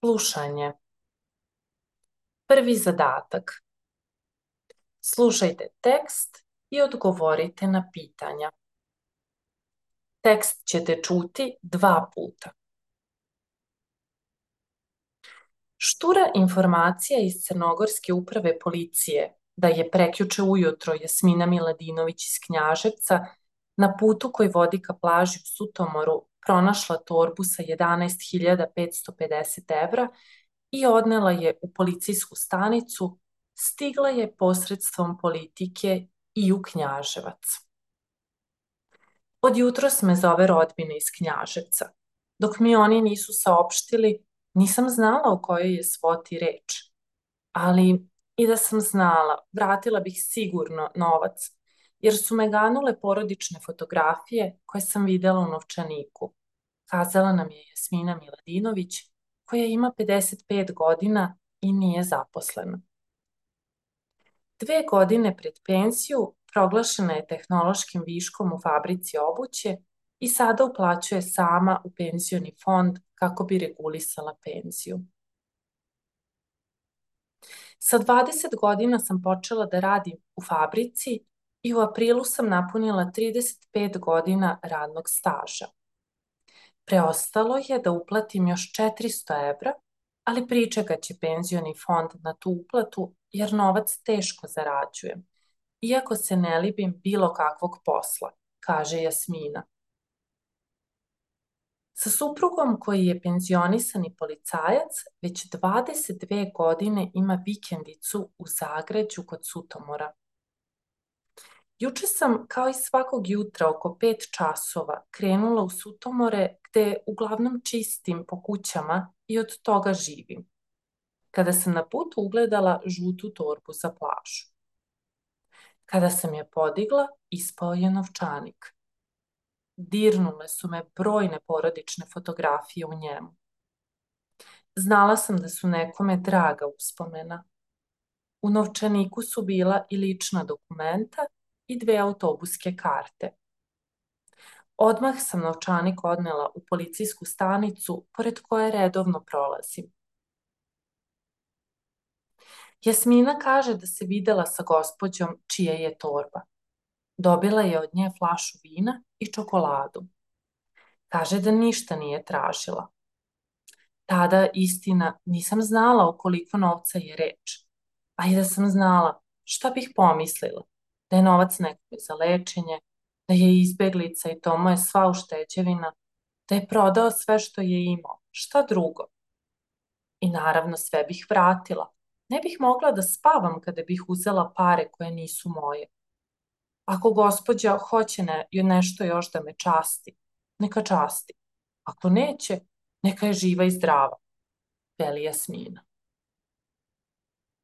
Slušanje. Prvi zadatak. Slušajte tekst i odgovorite na pitanja. Tekst ćete čuti 2 puta. Štura informacija iz Crnogorske uprave policije da je prekjuče ujutro Jasmina Miladinović iz Knjaževca na putu koji vodi ka plaži u Sutomoru pronašla torbu sa 11.550 evra i odnela je u policijsku stanicu, stigla je posredstvom politike i u Knjaževac. Od jutros me zove rodbina iz Knjaževca. Dok mi oni nisu saopštili, nisam znala o kojoj je svoti reč. Ali i da sam znala, vratila bih sigurno novac, jer su me ganule porodične fotografije koje sam videla u novčaniku. Kazala nam je Jasmina Miladinović, koja ima 55 godina i nije zaposlena. 2 godine pred penziju proglašena je tehnološkim viškom u fabrici obuće i sada uplaćuje sama u penzioni fond kako bi regulisala penziju. Sa 20 godina sam počela da radim u fabrici i u aprilu sam napunila 35 godina radnog staža. Preostalo je da uplatim još 400 evra, ali pričekat će penzioni fond na tu uplatu jer novac teško zarađujem, iako se ne libim bilo kakvog posla, kaže Jasmina. Sa suprugom koji je penzionisani policajac već 22 godine ima vikendicu u Zagređu kod Sutomora. Juče sam, kao i svakog jutra oko 5 časova, krenula u Sutomore gde uglavnom čistim po kućama i od toga živim, kada sam na putu ugledala žutu torbu za plažu. Kada sam je podigla, ispao je novčanik. Dirnule su me brojne porodične fotografije u njemu. Znala sam da su nekome draga uspomena. U novčaniku su bila i lična dokumenta i 2 autobuske karte. Odmah sam novčanik odnela u policijsku stanicu pored koje redovno prolazim. Jasmina kaže da se videla sa gospođom čija je torba. Dobila je od nje flašu vina i čokoladu. Kaže da ništa nije tražila. Tada, istina, nisam znala o koliko novca je reč. A i da sam znala, šta bih pomislila? Da je novac nekome za lečenje, da je izbeglica i to mu je sva ušteđevina, da je prodao sve što je imao, šta drugo? I naravno sve bih vratila. Ne bih mogla da spavam kada bih uzela pare koje nisu moje. Ako gospođa hoće nešto još da me časti, neka časti. Ako neće, neka je živa i zdrava, veli Jasmina.